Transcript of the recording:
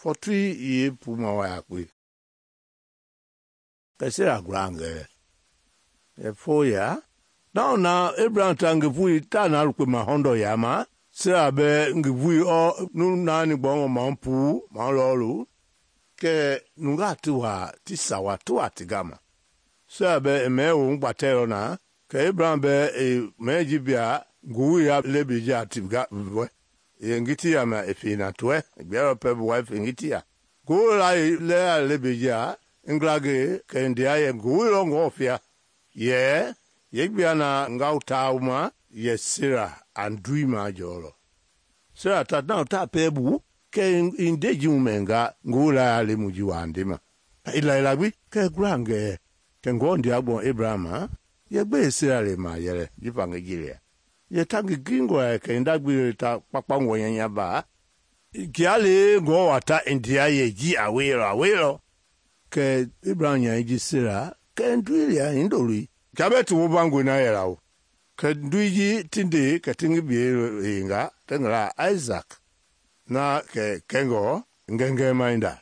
fɔtui ye puma wa yakpe. Kɛ Sera gulangɛ. Ɛ fo ya. Na Abraham ta ngi vui ta na lukpe ma hɔndɔ yama. Sera bɛ ngi vui nu naani gbɔngɔ ma pu ma lɔlu. Kɛ nungaa ti waa ti sawa ti waa ti gama. Sera bɛ mɛ wo gbatɛlɔ na. Kɛ Abraham bɛ mɛ ji bia ngui ya lebeja ti ga vɛ. Ye ngiti ya ma efe na toɛ. Gbɛrɛ pɛ bu wa efe ngiti ya. Ngui la le ya lebeja nglage kɛ ndia ye ngui lɔ ngɔ fia. Ye gbia na ngau tauma ye Sera andui ma jɔlɔ. Sera ta na ta pɛ bu kɛ inde ji mu mɛnga ngui la ya le mu ji wa ndema. Ila gbi kɛ gulangɛ kɛ ngɔ ndia gbɔ Abraham ye gbe Sera le ma yɛlɛ ji fa ngi ji ye ta ngi gringo kɛ nda gbi ta kpakpa ngɔ nyanya ba kia le ngɔ wa ta ndia ye ji awelɔ kɛ Abraham nya ji Sera kɛ ndui lia indoli kia bɛ ti wo bangwe na yɛla o kɛ ndui ji tinde kɛ tingi bie yenga tengla Isaac na kɛ kɛngɔ ngɛngɛ mainda